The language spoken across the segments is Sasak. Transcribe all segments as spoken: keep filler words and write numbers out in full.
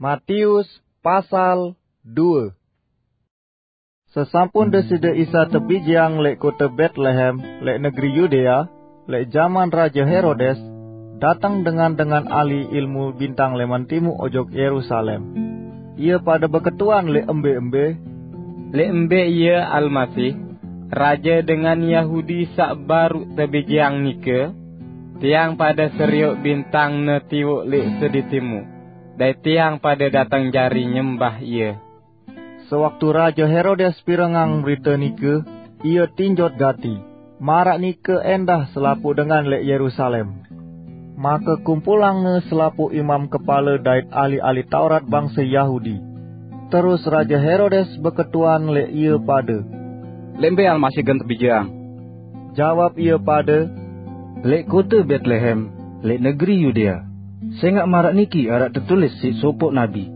Matius pasal due. Sesampun Deside Isa tebijeang leq kote Betlehem, leq negeri Yudea, leq jaman Raje Herodes, dateng dengan-dengan ahli ilmu bintang leman timuq ojok Yerusalem. Ie pade beketuan leq embe-embe, "Leq mbe Ie Almasih, Raje dengan Yahudi saq baruq tebijeang nike? Tiang pade serioq bintang-Ne tiwoq leq sedi timuq, dait tiang pade dateng jari nyembah Ie." Sewaktu Raje Herodes pirengang berite nike, ie tinjot gati, maraq nike endah selapuq dengan leq Yerusalem. Make kumpulangne selapuq imam kepale dait ahli-ahli Taurat bangse Yahudi. Terus Raje Herodes beketuan leq ie pade, "Leq mbe Almasih gen tebijeang?" Jawab ie pade, "Leq kote Betlehem, leq negeri Yudea. Sengaq maraq niki araq tetulis siq sopoq nabi,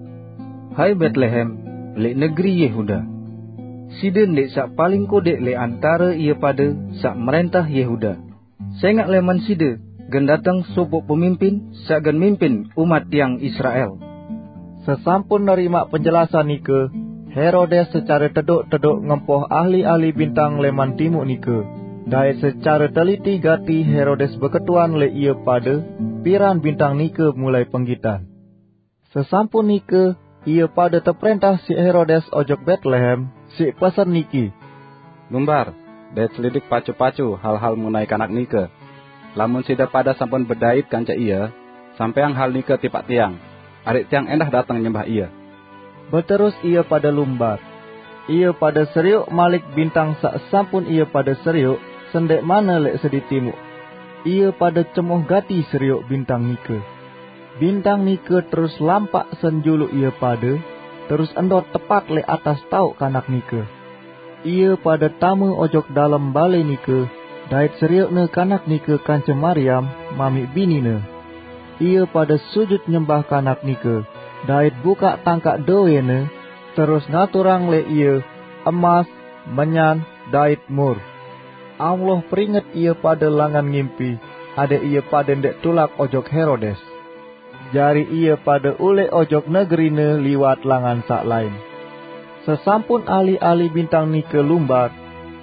'Hai Betlehem, leq negeri Yehuda, side ndeq saq paling kodeq leq antare ie pade saq mrentah Yehuda. Sengaq leman side gen dateng sopoq pemimpin saq gen mimpin umat tiang Israel.'" Sesampun nerimaq penjelasan nike, Herodes secare tedoq-tedoq ngempoh ahli-ahli bintang leman timuq nike, dait secare teliti gati Herodes beketuan leq ie pade piran bintang nike mulai penggitan. Sesampun nike, ie pade teprentah siq Herodes ojok Betlehem siq pesen niki, "Lumbar dait selidik pacu-pacu hal-hal mengenai kanak nike. Lamun side pade sampun bedait kance ie, sampayang hal nike tipaq tiang, adeq tiang endah dateng nyembah ie." Beterus ie pade lumbar. Ie pade serioq malik bintang saq sampun ie pade serioq, sendeqmane leq sedi timuq. Ie pade cemoh gati serioq bintang nike. Bintang nike terus lampaq senjuluq ie pade, terus ndot tepat leq atas taoq kanak nike. Ie pade tame ojok dalem bale nike, dait serioqne kanak nike kance Mariam, mamiq binine. Ie pade sujut nyembah kanak nike, dait bukaq tangkaq dowene, terus ngaturang leq ie emas, menyan, dait mur. Allah peringet ie pade langan ngimpi, adeq ie pade ndeq tulak ojok Herodes. Jari ie pade uleq ojok negerine liwat langan saq lain. Sesampun ahli-ahli bintang nike lumbar,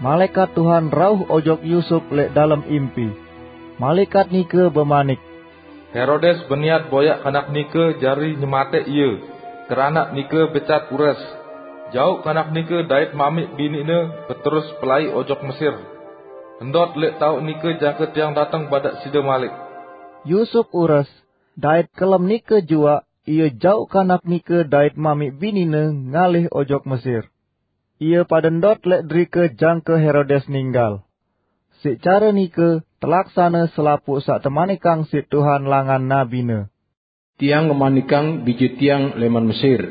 malaekat Tuhan rauh ojok Yusup leq dalem impi. Malaekat nike bemanik, "Herodes beniat boyaq kanak nike jari nyemateq ie, keranaq nike becat ures. Jauq kanak nike dait mamiq biniqne beterus pelai ojok Mesir. Ndot leq taoq nike jangke tiang dateng badaq side malik." Yusup ures, dait kelem nike juaq ie jauq kanak nike dait mamiq binine ngalih ojok Mesir. Ie pade ndot leq derike jangke Herodes ninggal. Siq care nike telaksane selapuq saq temanikang siq Tuhan langan nabine, "Tiang ngemanikang bije tiang leman Mesir."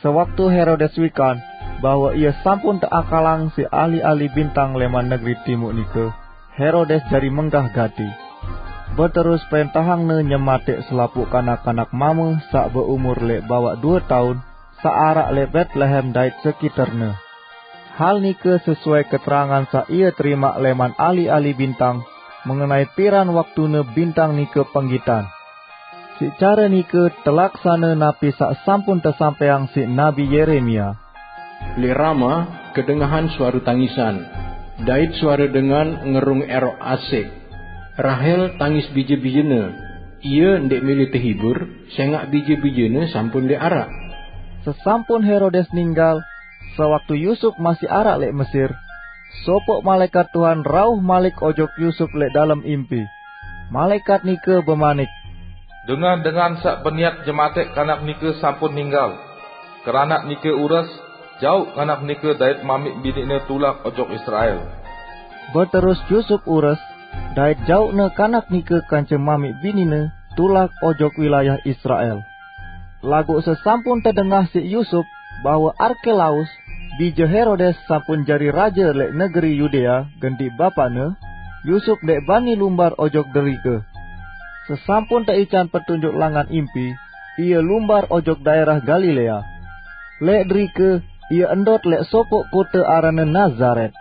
Sewaktu Herodes wikan bahwe ie sampun teakalang siq ahli-ahli bintang leman negeri timuq nike, Herodes jari menggah gati. Beterus prentahangne nyemateq selapuq kanak-kanak mame saq beumur leq bawaq due taun, saq araq leq Betlehem dait sekiterne. Hal nike sesuai keterangan saq ie terimaq leman ahli-ahli bintang mengenai piran waktune bintang nike penggitan. Siq care nike telaksane napi saq sampun tesampaiang siq Nabi Yeremia, "Leq Rama kedengahan suare tangisan, dait suare dengan ngerung eroq asek. Rahel tangis bije-bijene. Ie ndeq mele tehibur, sengaq bije-bijene sampun ndeq araq." Sesampun Herodes ninggal, sewaktu Yusup masih araq leq Mesir, sopoq malaekat Tuhan rauh malik ojok Yusup leq dalem impi. Malaekat nike bemanik, "Dengan-dengan saq beniat nyemateq kanak nike sampun ninggal. Keranaq nike ures, jauq kanak nike dait mamiq biniqne tulak ojok Israel." Beterus Yusup ures, dait jauqne kanak nike kance mamiq binine tulak ojok wilayah Israel. Laguq sesampun tedengah siq Yusup bahwe Arkelaus, bije Herodes, sampun jari raje leq negeri Yudea genti bapaqne, Yusup ndeq bani lumbar ojok derike. Sesampun teican petunjuk langan impi, ie lumbar ojok daerah Galilea. Leq derike ie ndot leq sopoq kote aranne Nazaret.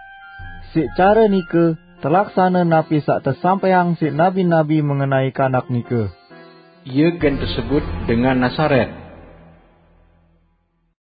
Siq care nike telaksane napi saq tesampaiang siq nabi-nabi mengenai kanak nike, "Ie gen tesebut dengan Nazaret."